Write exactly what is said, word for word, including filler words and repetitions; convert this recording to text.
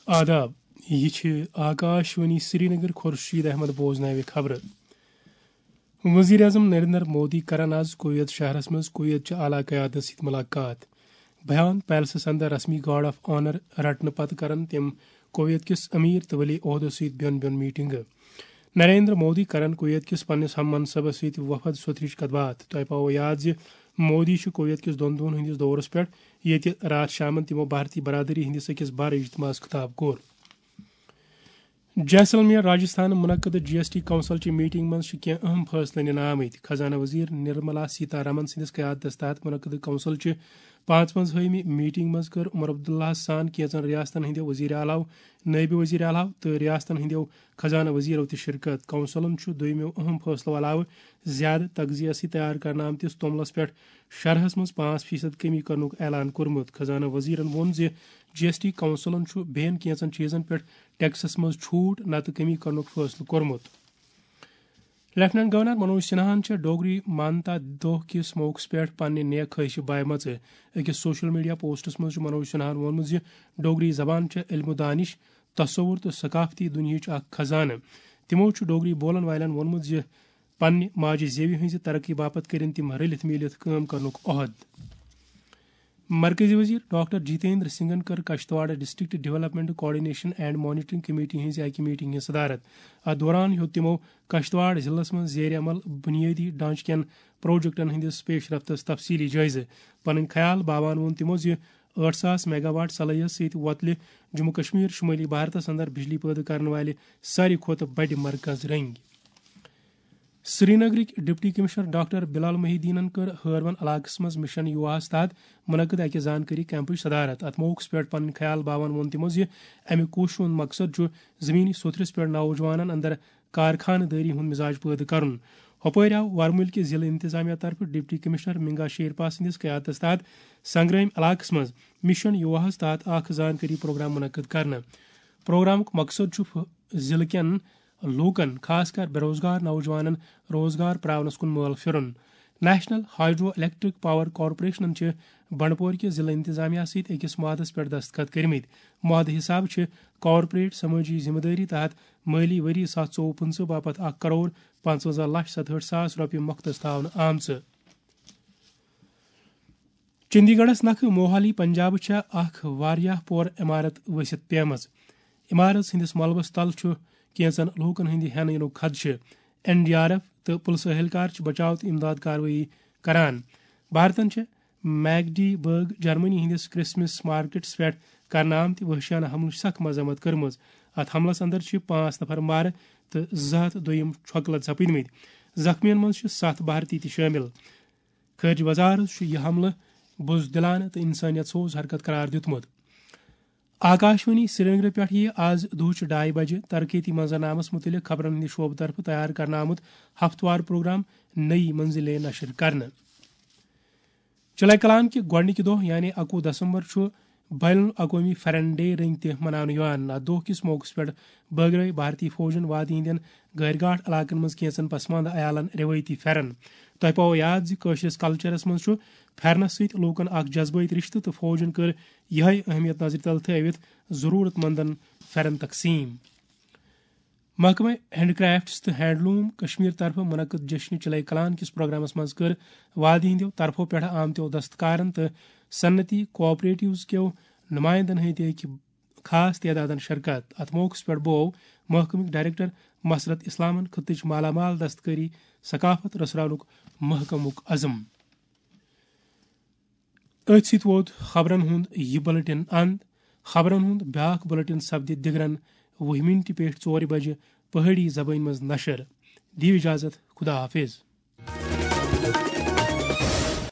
آداب، یہِ چھِ آکاش وانی سرینگر۔ خورشید احمد بوزناوِ خبرٕ۔ وزیر اعظم نریندر مودی کرن آز کویت شہرس منٛز کویت چہِ اعلیٰ قیادتس سۭتۍ ملاقات۔ بیان پیلسس اندر رسمی گارڈ آف آنر رٹنہٕ پتہٕ کرن تِم کویت کِس امیر تہٕ ولی عہدس سۭتۍ بیوٚن بیوٚن میٹنگہٕ۔ نریندر مودی کرن کویت کِس پننِس ہم منصبس سۭتۍ وفد سوترٕچ کتھ باتھ۔ تۄہہِ پاوو یاد زِ مودی چھُ کویت کِس دۄن دۄہن ہٕنٛدِس دورس پٮ۪ٹھ، ییٚتہِ راتھ شامن تِمو بھارتی برادری ہٕنٛدِس أکِس بڑ اجتماعس خطاب کوٚر۔ جیسلمیر، راجستھان منعقد جی ایس ٹی کونسل چہِ میٹنگ منٛز چھِ کینٛہہ اہم فٲصلہٕ نِنہٕ آمٕتۍ۔ خزانہٕ وزیر نرملا سیتا رمن سٕنٛدِس قیادتس تحت منعقد کونسل چہِ پانٛژوَنزاہمہِ میٹنگ منٛز کٔر عمر عبداللہ سان کینٛژن ریاستن ہٕنٛدیو وزیر اعلیٰ، نٲیِب وزیر اعلیٰ تہٕ ریاستن ہٕنٛدیو خزانہٕ وزیرو تہِ شرکت۔ کونسلن چھُ دوٚیمٮ۪و اہم فٲصلو علاوٕ زیادٕ تغذیہ سۭتۍ تیار کرنہٕ آمتِس توٚملس پٮ۪ٹھ شرحس منٛز پانٛژھ فیصد کمی کرنُک اعلان کوٚرمُت۔ خزانہٕ وزیرن ووٚن زِ جی ایس ٹی کونسلن چھُ بیٚین کینٛژن چیٖزن پٮ۪ٹھ ٹیکسس منٛز چھوٹ نتہٕ کمی کرنُک فٲصلہٕ کوٚرمُت۔ لیفٹیننٹ گورنر منوج سنہاہن چھےٚ ڈوگری مانتا دۄہ کِس موقعس پٮ۪ٹھ پننہِ نیک خٲہشہِ بایمژٕ۔ أکِس سوشل میڈیا پوسٹس منٛز چھُ منوج سنہاہن ووٚنمُت زِ ڈوگری زبان چھےٚ علم و دانش، تصور تہٕ ثقافتی دُنیاہٕچ اکھ خزانہٕ۔ تِمو چھُ ڈوگری بولن والٮ۪ن ووٚنمُت زِ پننہِ ماجہِ زیوِ ہٕنٛزِ ترقی باپتھ کٔرِن تِم رٔلِتھ میٖلِتھ کٲم کرنُک عہد۔ مرکزی وزیر ڈاکٹر جتیندر سنگھن کٔر Kishtwar district development coordination and monitoring committee ہٕنٛزِ اکہِ میٹنگ ہٕنٛز صدارت۔ اتھ دوران ہیوٚت تِمو کشتواڑ ضلعس منٛز زیر عمل بنیٲدی ڈھانچہٕ کٮ۪ن پروجیکٹن ہٕنٛدِس پیش رفتس تفصیلی جٲیزٕ۔ پنٕنۍ خیال باوان ووٚن تِمو زِ ٲٹھ ساس میگا واٹ صلٲحیت سۭتۍ وۄتلہِ جموں کشمیر شمٲلی بھارتس اندر بجلی پٲدٕ کرن والہِ ساروی کھۄتہٕ بٔڑِ مرکز رنگۍ۔ سرینگرٕکۍ ڈپٹی کمشنر ڈاکٹر بلال محی الدینن کٔر ہٲروَن علاقس منٛز مشن یوہاہس تحت منعقد اکہِ زانکٲری کیمپٕچ صدارت۔ اتھ موقعس پٮ۪ٹھ پنٕنۍ خیال باوان ووٚن تِمو زِ امہِ کوششہِ ہُنٛد مقصد چھُ زمینی سوٚتھرِس پٮ۪ٹھ نوجوانن اندر کارخانہٕ دٲری ہُنٛد مزاج پٲدٕ کرُن۔ ہۄپٲرۍ آو ورمُلۍ کہِ ضلعہٕ انتظامیہ طرفہٕ ڈپٹی کمشنر منگا شیرپا سٕنٛدِس قیادتس تحت سنگرٲمۍ علاقس منٛز مشن یوہاہس تحت اکھ زانکٲری پروگرام منعقد کرنہٕ۔ پروگرامُک مقصد چھُ ف-، ضلعہٕ کٮ۪ن لوٗکن، خاص کر بے روزگار نوجوانن، روزگار پراونس کُن مٲل پھِرُن۔ نیشنل ہائیڈرو الیکٹرک پاور کارپوریشنن چھِ بنڈپور کہِ ضلعہٕ انتظامیہ سۭتۍ أکِس معاہدس پٮ۪ٹھ دستخط کٔرمٕتۍ۔ معاہدٕ حسابہٕ چھِ کارپوریٹ سمٲجی ذمہٕ دٲری تحت مٲلی ؤری زٕ ساس ژوٚوُہ پٕنٛژٕہ باپتھ اکھ کرور پانٛژوَنزاہ لچھ ستہٲٹھ ساس رۄپیہِ مۄختص تھاونہٕ آمژٕ۔ چندی گڑھس نکھٕ موہالی پنجابہٕ چھےٚ اکھ واریاہ پور عمارت ؤسِتھ پیمٕژ۔ عمارت ہٕنٛدِس ملبس تل چھُ کینژن لوٗکن ہٕنٛدِ ہٮ۪نہٕ یِنُک خدشہٕ۔ این ڈی آر ایف تہٕ پُلسہٕ اہلکار چھِ بچاو تہٕ امداد کاروٲیی کران۔ بھارتن چھےٚ میگڈی برگ جرمنی ہٕنٛدِس کرسمس مارکیٹس پٮ۪ٹھ کرنہٕ آمتہِ وحشیانہٕ حملٕچ سخ مذمت کٔرمٕژ۔ اتھ حملس اندر چھِ پانٛژھ نفر مارٕ تہٕ زٕ ہتھ دوٚیِم چھۄکہٕ لد سپٕدمٕتۍ۔ زخمیَن منٛز چھِ ستھ بھارتی تہِ شٲمِل۔ خارجہ وزارت چھُ یہِ حملہٕ بزدلانہٕ تہٕ انسانیت سوز حرکت قرار دیُتمُت۔ آکاشوانی سرینگر پٮ۪ٹھ یِیہِ آز دُہچہِ ڈاے بجہِ ترقیتی منظرنامس مُتعلق خبرن ہٕنٛدِ شعبہٕ طرفہٕ تیار کرنہٕ آمُت ہفتہٕ وار پروگرام نئی منزلیں نشر کرنہٕ۔ چلے کلان کہِ گۄڈٕنِکہِ دۄہ یعنی اَکوُہ دسمبر چھُ بین الاقوٲمی پھٮ۪رن ڈے رٔنگۍ تہِ مناونہٕ یِوان۔ اَتھ دۄہ کِس موقعس پٮ۪ٹھ بٲگرٲوۍ بھارتی فوجن وادی ہٕنٛدٮ۪ن غٲرۍ گاٹھ علاقن منٛز کینٛژن پسماندٕ عیالن رٮ۪وٲیتی پھٮ۪رن۔ تۄہہِ پاوو یاد زِ کٲشرِس کلچرس منٛز چھُ پھٮ۪رنس سۭتۍ لوٗکن اکھ جذبٲتی رشتہٕ تہٕ فوجن کٔر یِہے اہمیت نظرِ تل تھٲوِتھ ضروٗرت مندن پھٮ۪رن تقسیٖم۔ محکمہ ہینڈ کرافٹس تہٕ ہینڈلوم کشمیر طرفہٕ منعقد جشن چلے کلان کِس پروگرامس منٛز کٔر وادی ہٕنٛدیو طرفو پٮ۪ٹھٕ آمتیو دستکارن تہٕ صنعتی کوآپریٹیوز کیو نمائندن ہٕنٛدۍ أکۍ خاص تعدادن شرکت۔ اتھ موقعس پٮ۪ٹھ بوو محکمٕکۍ ڈائریکٹر مسرت اسلامن خطٕچ مالا مال دستکٲری ثقافت رژھراونُک محکمُک عزم۔ أتھۍ سۭتۍ ووت خبرن ہُنٛد یہِ بُلٹن اند۔ خبرن ہُنٛد بیاکھ بُلٹن سپدِ دِگرن وُہہِ مِنٹہِ پٮ۪ٹھ ژورِ بجہِ پہٲڑی زبٲنۍ منٛز نشر۔ دِیِو اجازت، خدا حافظ۔